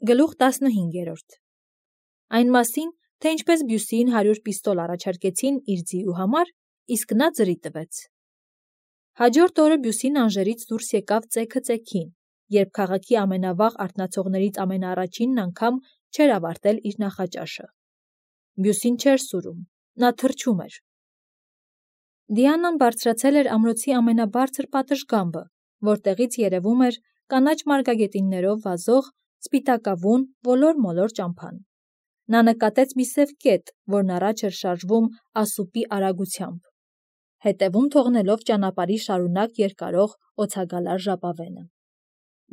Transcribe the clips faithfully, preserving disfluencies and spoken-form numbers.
Գլուխ տասնհինգերորդ Այն մասին, թե ինչպես Բյուսիին հարյուր պիստոլ առաջարկեցին իր ձիու համար, իսկ նա ձրի տվեց։ Հաջորդ օրը Բյուսին Անժերից դուրս եկավ ծեքը ծեքին, երբ քաղաքի ամենավաղ արթնացողներից ամենաառաջինն անգամ չէր ավարտել իր նախաճաշը։ Բյուսին չէր սուրում, նա թրջում էր։ Դիանան բարձրացել էր ամրոցի ամենաբարձր պատշգամբը, որտեղից երևում էր կանաչ մարգագետիններով վազող սպիտակավուն ոլոր-մոլոր ճամփան։ Նա նկատեց մի սև կետ, որն առաջ էր շարժվում ասուպի արագությամբ, հետևում թողնելով ճանապարհի շարունակ երկարող օձագալար ժապավենը։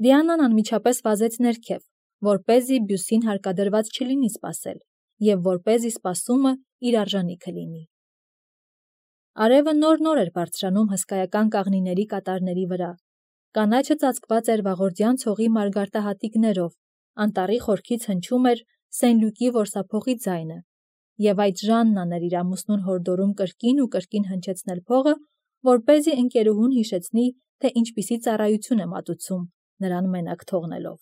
Դիանան անմիջապես վազեց ներքև, որպեսզի Բյուսին հարկադրված չլինի սպասել, և որպեսզի սպասումը իր արժանիքը լինի։ Արևը նոր-նոր էր բարձրանում հսկայական կաղնիների կատարների վրա, կանաչը ծածկված էր վաղորդյան ցողի մարգարտահատիկներով, անտառի խորքից հնչում էր Սեն-Լյուկի որսափողի ձայնը, և այդ Ժաննան էր իր ամուսնուն հորդորում կրկին ու կրկին հնչեցնել փողը, որպեսզի ընկերուհուն հիշեցնի, թե ինչպիսի ծառայություն է մատուցում, նրան մենակ թողնելով։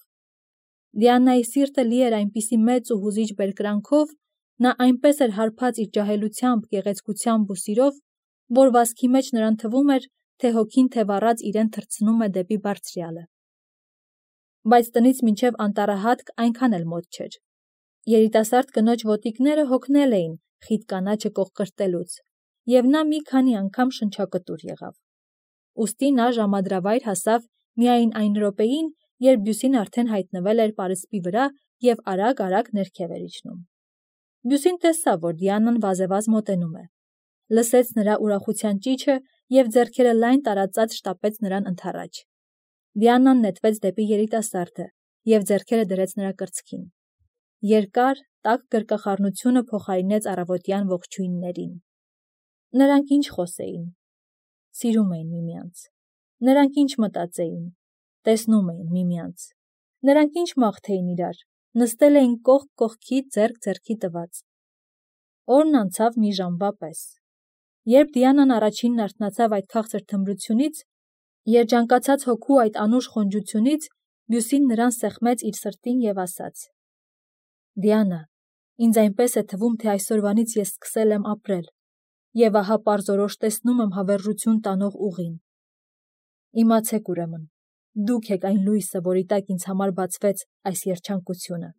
Դիանայի սիրտը լի էր այնպիսի մեծ ու հուզիչ բերկրանքով, նա այնպես էր հարբած իր ջահելությամբ, գեղեցկությամբ ու սիրով, որ վազքի մեջ նրան թվում էր, թե հոգին թե վառած իրեն թռցնում է դեպի Բարձրյալը։ Բայց տնից մինչև անտառահատկ այնքան էլ մոտ չէր։ Երիտասարդ կնոջ ոտիկները հոգնել էին խիտ կանաչը կողկրտելուց, և նա մի քանի անգամ շնչակտուր եղավ։ Ուստի նա ժամադրավայր հասավ միայն այն րոպեին, երբ Բյուսին արդեն հայտնվել էր պարսպի վրա և արագ-արագ ներքև էր իջնում։ Բյուսին տեսավ, որ Դիանան վազևազ մոտենում է, լսեց նրա ուրախության ճիչը և ձեռքերը լայն տարածած շտապեց նրան ընդառաջ։ Դիանան նետվեց դեպի երիտասարդը և ձեռքերը դրեց նրա կրծքին։ Երկար, տաք գրկախառնությունը փոխարինեց առավոտյան ողջույններին։ Նրանք ինչ խոսեին։ Սիրում էին միմյանց։ Նրանք ինչ մտածեին։ Տեսնում էին միմյանց։ Նրանք ինչ մաղթեին իրար, նստել էին կողք կողքի, ձեռք ձեռքի տված։ Օրն անցավ մի ժամվա պես։ Երբ Դիանան առաջինն արթնացավ այդ քաղցր թմրությունից, երջանկացած հոգու այդ անուշ խոնջությունից, Բյուսին նրան սեղմեց իր սրտին և ասաց. «Դիանա, ինձ այնպես է թվում, թե այսօրվանից ես սկսել եմ ապրել, և ահա պարզորոշ տեսնում եմ հավերժություն տանող ուղին։ Իմացեք ուրեմն, դուք եք այն լույսը, որի տակ ինձ համար բացվեց այս երջանկությունը։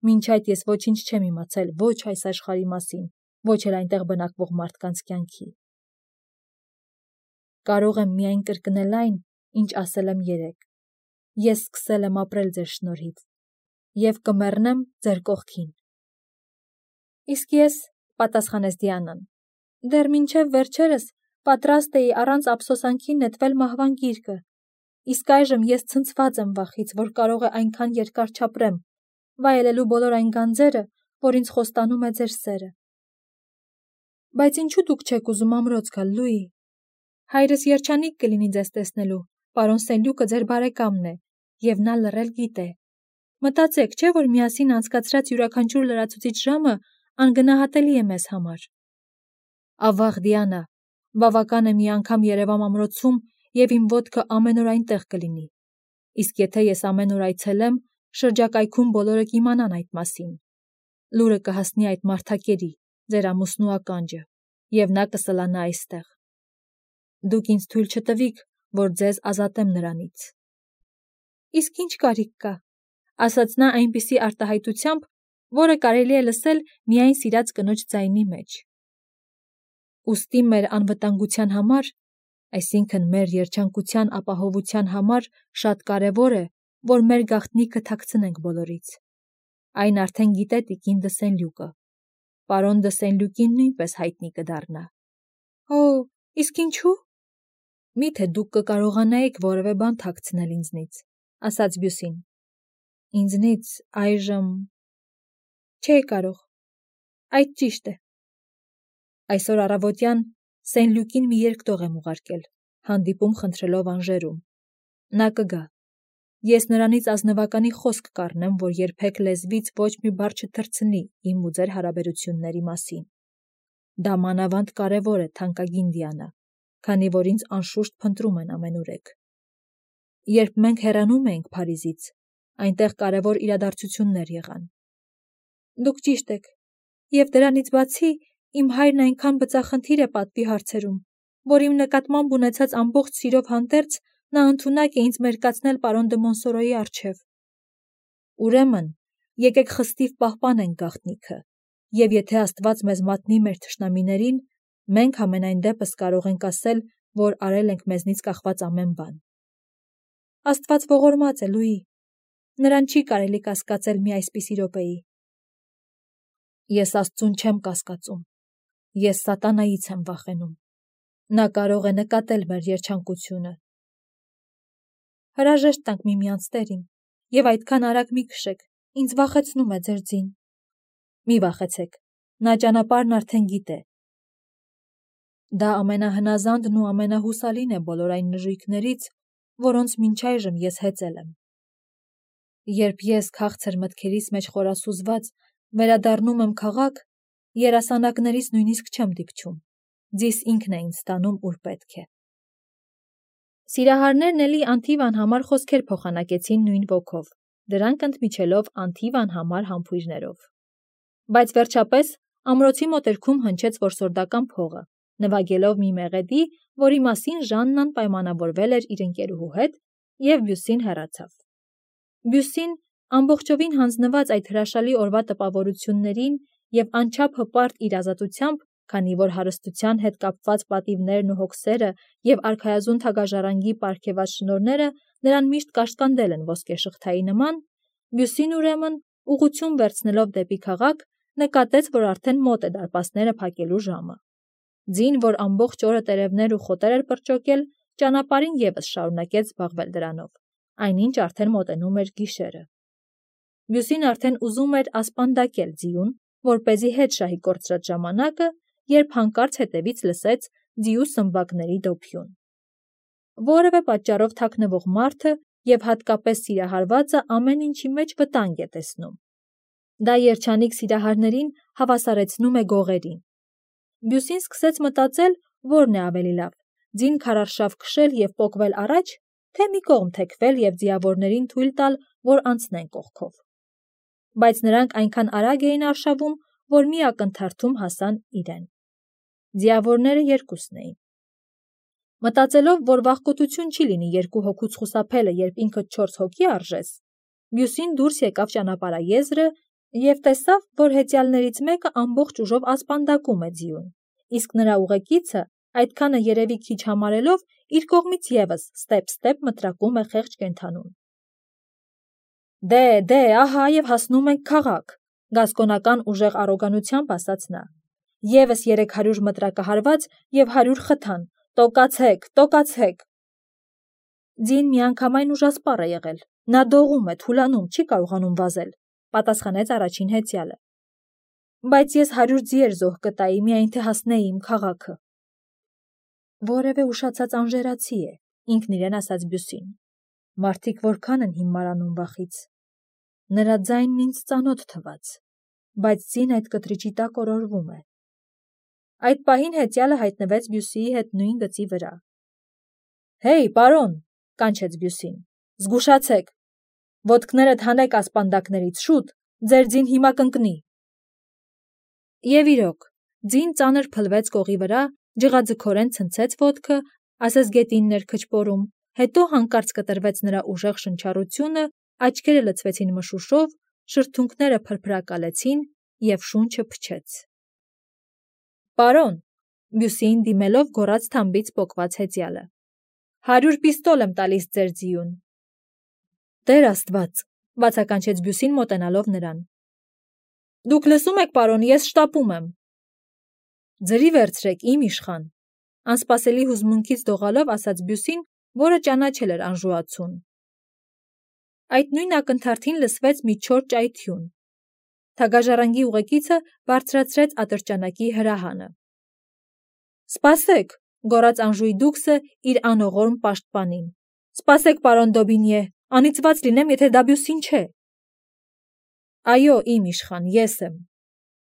Մինչ այդ ես ոչինչ չեմ իմացել ոչ այս աշխարհի մասին, ոչ էլ այնտեղ բնակվող մարդկանց կյանքի։ Կարող եմ միայն կրկնել այն, ինչ ասել եմ երեկ. ես սկսել եմ ապրել ձեր շնորհիվ և կմեռնեմ ձեր կողքին»։ «Իսկ ես», պատասխանեց Դիանան, «դեռ մինչև վերջերս պատրաստ էի առանց ափսոսանքի նետվել մահվան գիրկը, իսկ այժմ ես ցնցված եմ վախից, որ կարող է այնքան երկար չապրեմ, վայելելու բոլոր այն գանձերը, որ ինձ խոստանում է ձեր սերը»։ «Բայց ինչու դուք չեք ուզում ամրոց գալ, Լուի։ Հայրս երջանիկ կլինի ձեզ տեսնելու, պարոն Սեն-Լյուկը ձեր բարեկամն է, և նա լռել գիտե։ Մտածեք, չէ՞ որ միասին անցկացրած յուրաքանչյուր լրացուցիչ ժամը անգնահատելի է մեզ համար»։ «Ավաղ, Դիանա, բավական է մի անգամ երևամ ամրոցում, և իմ ոտքը ամեն օր այնտեղ կլինի։ Իսկ եթե ես ամեն օր այցելեմ, շրջակայքում բոլորը կիմանան այդ մասին։ Լուրը կհասնի այդ մարդակերի, ձեր ամուսնու ականջը, և նա կսլանա այստեղ։ Դուք ինձ թույլ չտվիք, որ ձեզ ազատեմ նրանից»։ «Իսկ ինչ կարիք կա», ասաց նա այնպիսի արտահայտությամբ, որը կարելի է լսել միայն սիրած կնոջ ձայնի մեջ։ «Ուստի մեր անվտանգության համար, այսինքն մեր երջանկության ապահովության համար շատ կարևոր է, որ մեր գաղտնիքը թաքցնենք բոլորից։ Այն արդեն գիտե տիկին դը Սեն-Լյուկը։ Պարոն դը Սեն-Լյուկին նույնպես հայտնի կդառնա»։ «Օ, իսկ ինչու՞։ Մի՞թե դուք կկարողանայիք որևէ բան թաքցնել ինձնից», ասաց Բյուսին։ «Ինձնից այժմ… չէի կարող, այդ ճիշտ է։ Այսօր առավոտյան Սեն-Լյուկին մի երկտող եմ ուղարկել, հանդիպում խնդրելով Անժերում։ Նա կգա։ Ես նրանից ազնվականի խոսք կառնեմ, որ երբեք լեզվից ոչ մի բառ չթռցնի իմ ու ձեր հարաբերությունների մասին։ Դա մանավանդ կարևոր է, թանկագին Դիանա, քանի որ ինձ անշուշտ փնտրում են ամենուրեք։ Երբ մենք հեռանում էինք Փարիզից, Այնտեղ կարևոր իրադարձություններ եղան։ Դուք ճիշտ եք, եւ դրանից բացի իմ հայրն այնքան բծախնդիր է պատվի հարցերում, որ իմ նկատմամբ ունեցած ամբողջ սիրով հանդերձ նա ընդունակ է ինձ մերկացնել պարոն դը Մոնսորոյի առջև։ Ուրեմն, եկեք խստիվ պահպանենք գաղտնիքը, եւ եթե Աստված մեզ մատնի մեր թշնամիներին, մենք ամենայն դեպս կարող ենք ասել, որ արել ենք մեզնից կախված ամեն բան։ Աստված ողորմած է, Լուի, նրան չի կարելի կասկածել մի այսպիսի րոպեի։ Ես Աստծուն չեմ կասկածում, ես սատանայից եմ վախենում, նա կարող է նկատել մեր երջանկությունը։ Հրաժեշտ տանք միմյանց, տեր իմ, եւ այդքան արագ մի քշեք, ինձ վախեցնում է ձեր ձին։ Մի վախեցեք, նա ճանապարհն արդեն գիտե։ Դա ամենահնազանդն ու ամենահուսալին է բոլոր այն նժույգներից, որոնց մինչ այժմ ես հեծել եմ։ Երբ ես քաղցր մտքերիս մեջ խորասուզված վերադառնում եմ քաղաք, երասանակներից նույնիսկ չեմ դիպչում, ձիս ինքն է ինձ տանում, ուր պետք է։ Սիրահարներն էլի Անթիվան համար խոսքեր փոխանակեցին նույն ոգով, դրանք ընդմիջելով Անթիվան համար համբույրներով։ Բայց վերջապես ամրոցի մոտերքում հնչեց որսորդական փողը, նվագելով մի մեղեդի, որի մասին Ժաննան պայմանավորվել էր իր ընկերուհու հետ, եւ Բյուսին հեռացավ։ Բյուսին, ամբողջովին հանձնված այդ հրաշալի օրվա տպավորություններին եւ անչափ հպարտ իր ազատությամբ, քանի որ հարստության հետ կապված պատիվներն ու հոգսերը եւ արքայազուն թագաժառանգի պարգևած շնորհները նրան միշտ կաշկանդել են ոսկեշղթայի նման, Բյուսին ուրեմն, ուղղություն վերցնելով դեպի քաղաք, նկատեց, որ արդեն մոտ է դարպասները փակելու ժամը։ Ձին, որ ամբողջ օրը տերևներ ու խոտեր էր պրճոկել, ճանապարհին եւս շարունակեց զբաղվել դրանով, այնինչ արդեն մոտենում էր գիշերը։ Բյուսին արդեն ուզում էր ասպանդակել ձիուն, որպեսզի հետ շահի կորցրած ժամանակը, երբ հանկարծ հետևից լսեց ձիու սմբակների դոփյուն։ Որևէ պատճառով թաքնվող մարդը եւ հատկապես սիրահարվածը ամեն ինչի մեջ վտանգ է տեսնում։ Դա երջանիկ սիրահարներին հավասարեցնում է գողերին։ Բյուսին սկսեց մտածել, որն է ավելի լավ՝ ձին քարարշավ քշել եւ պոկվել առաջ, թե մի կողմ թեքվել եւ ձիավորներին թույլ տալ, որ անցնեն կողքով։ Բայց նրանք այնքան արագ էին արշավում, որ մի ակնթարթում հասան իրեն։ Ձիավորները երկուսն էին։ Մտածելով, որ վախկոտություն չի լինի երկու հոգուց խուսափելը, երբ ինքդ չորս հոգի արժես, Բյուսին դուրս եկավ ճանապարհաեզրը եւ տեսավ, որ հեծյալներից մեկը ամբողջ ուժով ասպանդակում է ձիուն, իսկ նրա ուղեկիցը, այդքանը երևի քիչ համարելով, իր կողմից եւս ստեպ-ստեպ մտրակում է խեղճ կենդանուն։ Դե, դե, ահա եւ հասնում ենք քաղաք, գասկոնական ուժեղ առոգանությամբ ասաց նա։ Եվս երեք հարյուր մտրակահարված եւ հարյուր խթան, տոկացեք, տոկացեք։ Ձին միանգամայն ուժասպառ է եղել, նա դողում է, թուլանում, չի կարողանում վազել, պատասխանեց առաջին հեծյալը։ Բայց ես հարյուր ձիեր զոհ կտայի, միայն թե հասնեի իմ քաղաքը։ Որևէ ուշացած անժերացի է, ինքն իրեն ասաց Բյուսին։ Մարդիկ որքան են հիմարանում վախից։ Նրա ձայնն ինձ ծանոթ թվաց, բայց ձին այդ կտրիճի տակ օրորվում է։ Այդ պահին հեծյալը հայտնվեց Բյուսիի հետ նույն գծի վրա։ Հեյ, պարոն, կանչեց Բյուսին, զգուշացեք, ոտքներդ հանեք ասպանդակներից, շուտ, ձեր ձին հիմա կընկնի։ Եվ իրոք, ձին ծանր փլվեց կողի վրա, ջղաձգորեն ցնցեց ոտքը, ասես գետիններ քչպորում, հետո հանկարծ կտրվեց նրա ուժեղ շնչառությունը, աչքերը լցվեցին մշուշով, շրթունքները փրփրակալեցին եւ շունչը փչեց։ Պարոն, Բյուսիին դիմելով գոռաց թամբից պոկված հեծյալը, հարյուր պիստոլ եմ տալիս ձեր ձիուն։ Տեր Աստված, բացականչեց Բյուսին մոտենալով նրան։ Դուք լսում եք, պարոն, ես շտապում եմ։ Ձրի վերցրեք, իմ իշխան, անսպասելի հուզմունքից դողալով ասաց Բյուսին, որը ճանաչել էր անժուացուն։ Այդ նույն ակնթարթին լսվեց մի չոր ճայթյուն։ Թագաժառանգի ուղեկիցը բարձրացրեց ատրճանակի հրահանը։ Սպասեք, գոռաց անժույգ դուքսը իր անողորմ պաշտպանին։ Սպասեք, պարոն Դոբինյե, անիծված լինեմ, եթե դա Բյուսին չէ։ Այո, իմ իշխան, ես եմ։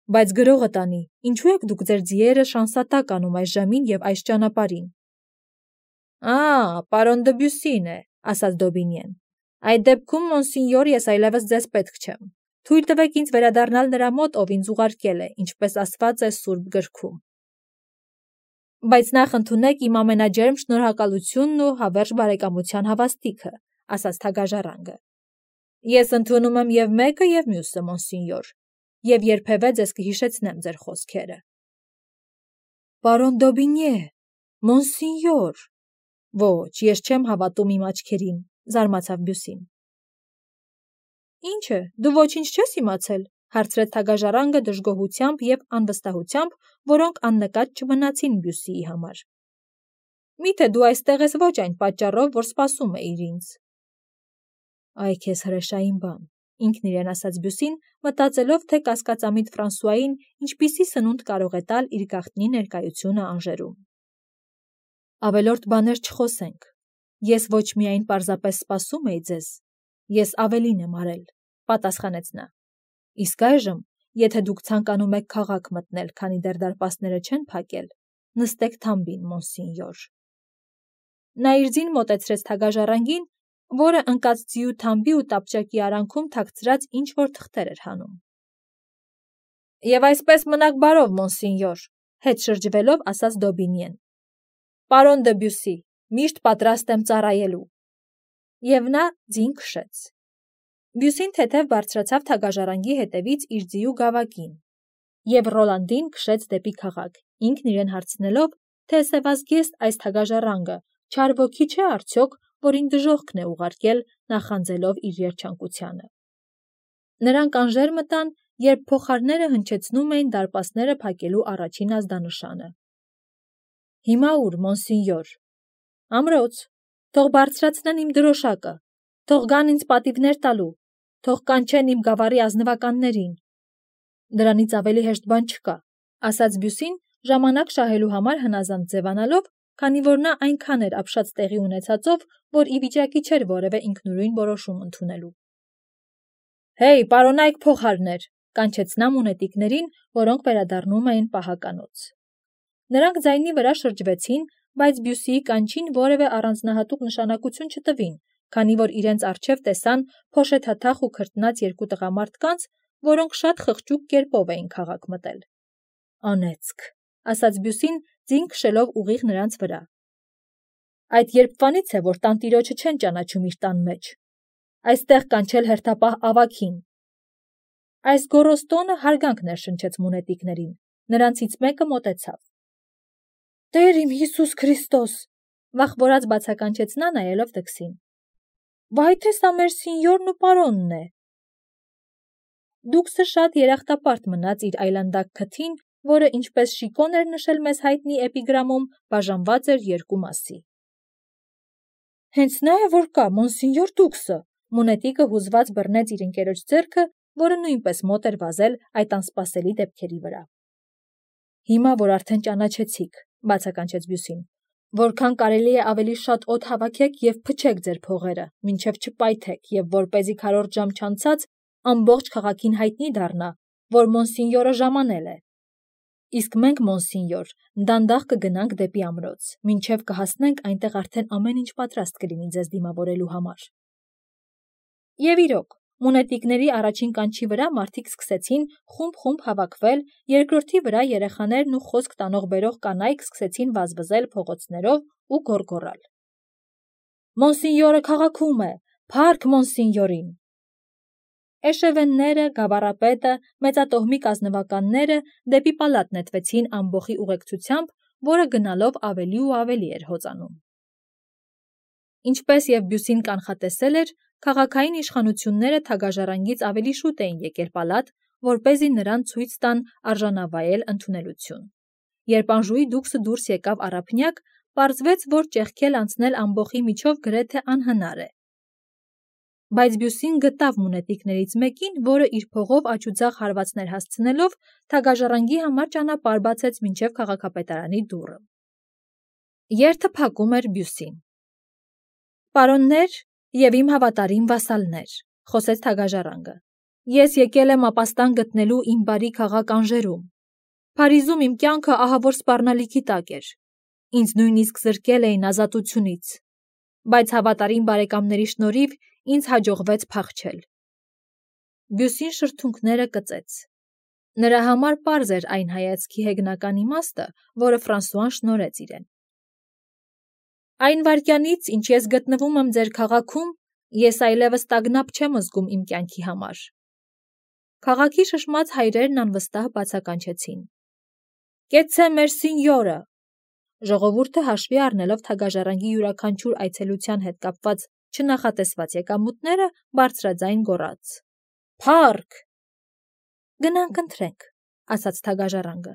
Բայց գրողը տանի, ինչու եք դուք ձեր ձիերը շանսատակ անում այս ժամին եւ այս ճանապարհին։ Ա, պարոն Դը Բյուսին է, ասաց Դոբինյեն։ Այդ դեպքում, մոնսինյոր, ես այլևս ձեզ պետք չեմ։ Թույլ տվեք ինձ վերադառնալ նրա մոտ, ով ինձ ուղարկել է, ինչպես ասված է Սուրբ գրքում։ Բայց նախ ընդունեք իմ ամենաջերմ շնորհակալությունն ու հավերժ բարեկամության հավաստիքը, ասաց թագաժառանգը։ Ես ընդունում եմ եւ մեկը, եւ մյուսը, մոնսինյոր, եւ երբևէ ձեզ կհիշեցնեմ ձեր խոսքերը։ Պարոն Դոբինյե, մոնսինյոր։ Ոչ, ես չեմ հավատում իմ աչքերին, զարմացավ Բյուսին։ Ինչ է, դու ոչինչ չես իմացել, հարցրեց թագաժառանգը դժգոհությամբ եւ անվստահությամբ, որոնք աննկատ չմնացին Բյուսիի համար։ Միթե դու այստեղ ես ոչ այն պատճառով, որ սպասում էիր ինձ։ Այ քեզ հրեշային բան, ինքն իրեն ասաց Բյուսին, մտածելով, թե կասկածամիտ Ֆրանսուային ինչպիսի սնունդ կարող է տալ իր գաղտնի ներկայությունը Անժերում։ Ավելորդ բաներ չխոսենք։ Ես ոչ միայն պարզապես սպասում էի ձեզ, ես ավելին եմ արել, պատասխանեց նա։ Իսկ այժմ, եթե դուք ցանկանում եք քաղաք մտնել, քանի դեռ դարպասները չեն փակել, նստեք թամբին, մոնսինյոր։ Նա իր ձին մոտեցրեց թագաժառանգին, որը ընկած ձիու թամբի ու տապճակի արանքում թաքցրած ինչ-որ թղթեր էր հանում։ Եվ այսպես մնաք բարով, մոնսինյոր, հետ շրջվելով ասաց Դոբինյեն։ Պարոն դը Բյուսի, միշտ պատրաստ եմ ծառայելու։ Եվ նա ձին քշեց։ Բյուսին թեթև բարձրացավ թագաժառանգի հետևից իր ձիու գավակին, եւ Ռոլանդին քշեց դեպի քաղաք, ինքն իրեն հարցնելով, թե սևազգեստ այս թագաժառանգը չար ոգի չէ արդյոք, որին դժոխքն է ուղարկել, նախանձելով իր երջանկությանը։ Նրանք Անժեր մտան, երբ փոխարները հնչեցնում էին դարպասները փակելու առաջին ազդանշանը։ Հիմա ուր, մոնսինյոր։ Ամրոց, թող բարձրացնեն իմ դրոշակը, թող գան ինձ պատիվներ տալու, թող կանչեն իմ գավառի ազնվականներին։ Դրանից ավելի հեշտ բան չկա, ասաց Բյուսին, ժամանակ շահելու համար հնազանդ ձևանալով, քանի որ նա այնքան էր ապշած տեղի ունեցածով, որ ի վիճակի չէր որևէ ինքնուրույն որոշում ընդունելու։ Հեյ, պարոնայք փոխարներ, կանչեց նա մունետիկներին, որոնք վերադառնում էին պահականոց։ Նրանք ձայնի վրա շրջվեցին, բայց Բյուսիի կանչին որևէ առանձնահատուկ նշանակություն չտվին, քանի որ իրենց առջև տեսան փոշեթաթախ ու քրտնած երկու տղամարդկանց, որոնք շատ խղճուկ կերպով էին քաղաք մտել։ Անեծք, ասաց Բյուսին, ձին քշելով ուղիղ նրանց վրա։ Այդ երբվանից է, որ տանտիրոջը չեն ճանաչում իր տան մեջ։ Այստեղ կանչել հերթապահ ավագին։ Այս գոռոստոնը հարգանք ներշնչեց մունետիկներին, նրանցից մեկը մոտեցավ։ Տեր իմ Հիսուս Քրիստոս, վախվորած բացականչեց նա նայելով դքսին։ Վայ թե սա մեր սինյորն ու պարոնն է։ Դուքսը շատ երախտապարտ մնաց իր այլանդակ քթին, որը ինչպես Շիկոն էր նշել մեզ հայտնի էպիգրամում, բաժանված էր երկու մասի։ Հենց նա է, որ կա, մոնսինյոր Դուքսը, մունետիկը հուզված բռնեց իր ընկերոջ ձեռքը, որը նույնպես մոտ էր վազել այդ անսպասելի դեպքերի վրա։ Հիմա, որ արդեն ճանաչեցիք, բացականչեց Բյուսին, որքան կարելի է ավելի շատ օդ հավաքեք եւ փչեք ձեր փողերը, մինչեւ չպայթեք եւ որպեսզի քառորդ ժամ չանցած ամբողջ քաղաքին հայտնի դառնա, որ մոնսինյորը ժամանել է։ Իսկ մենք, մոնսինյոր, դանդաղ կգնանք դեպի ամրոց, մինչև կհասնենք այնտեղ արդեն ամեն ինչ պատրաստ կլինի ձեզ դիմավորելու համար։ Եվ իրոք, մունետիկների առաջին կանչի վրա մարդիկ սկսեցին խումբ-խումբ հավաքվել, երկրորդի վրա երեխաներն ու խոսք տանող-բերող կանայք սկսեցին վազվզել փողոցներով ու գոռգոռալ։ Մոնսինյորը քաղաքում է, փառք մոնսինյորին։ Էշևենները, գավառապետը, մեծատոհմիկ ազնվականները դեպի պալատ նետվեցին ամբոխի ուղեկցությամբ, որը գնալով ավելի ու ավելի էր հոծանում։ Ինչպես եւ Բյուսին կանխատեսել էր, քաղաքային իշխանությունները թագաժառանգից ավելի շուտ էին եկել պալատ, որպեսզի նրան ցույց տան արժանավայել ընդունելություն։ Երբ Անժուի դուքսը դուրս եկավ առափնյակ, պարզվեց, որ ճեղքել անցնել ամբոխի միջով գրեթե անհնար է։ Բայց Բյուսին գտավ մունետիկներից մեկին, որը իր փողով աչուձախ հարվածներ հասցնելով թագաժառանգի համար ճանապարհ բացեց մինչև քաղաքապետարանի դուռը։ Երթը փակում էր Բյուսին։ Պարոններ եւ իմ հավատարիմ վասալներ, խոսեց թագաժառանգը։ Ես եկել եմ ապաստան գտնելու իմ բարի քաղաք Անժերում։ Փարիզում իմ կյանքը ահավոր սպառնալիքի տակ էր։ Ինձ նույնիսկ զրկել էին ազատությունից։ Բայց հավատարիմ բարեկամների շնորհիվ ինձ հաջողվեց փախչել։ Բյուսին շրթունքները կծեց։ Նրա համար պարզ էր այն հայացքի հեգնական իմաստը, որը Ֆրանսուան շնորհեց իրեն։ Այն վայրկյանից, ինչ ես գտնվում եմ ձեր քաղաքում, ես այլևս տագնապ չեմ զգում իմ կյանքի համար։ Քաղաքի շշմած հայրերն անվստահ բացականչեցին։ Կեցցե մեր սինյորը։ Ժողովուրդը հաշվի առնելով թագաժառանգի յուրաքանչյուր այցելության հետ կապված չնախատեսված եկամուտները, բարձրաձայն գոռաց. Փառք։ Գնանք ընթրենք, ասաց թագաժառանգը։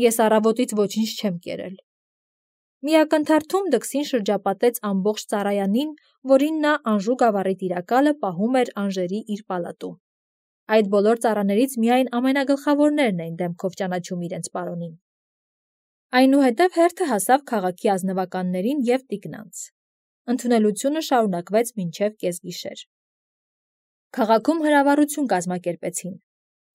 Ես առավոտից ոչինչ չեմ կերել։ Մի ակնթարթում դքսին շրջապատեց ամբողջ ծառայանին, որին նա անժու գավառի տիրակալը պահում էր անժերի իր պալատում։ Այդ բոլոր ծառաներից միայն ամենագլխավորներն էին դեմքով ճանաչում իրենց պարոնին։ Այնուհետև հերթը հասավ քաղաքի ազնվականներին և տիկնանց։ Ընդունելությունը շարունակվեց մինչև կեսգիշեր։ Քաղաքում հրավառություն կազմակերպեցին։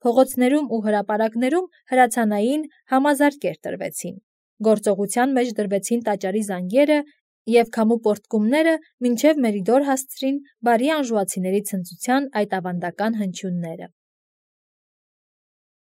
Փողոցներում ու հրապարակներում հրացանային համազարկեր տրվեցին։ Գործողության մեջ դրվեցին տաճարի զանգերը և քամու պոռթկումները, մինչև Մերիդոր հասցրին բարի անժուացիների ցնծության այդ ավանդական հնչյունները։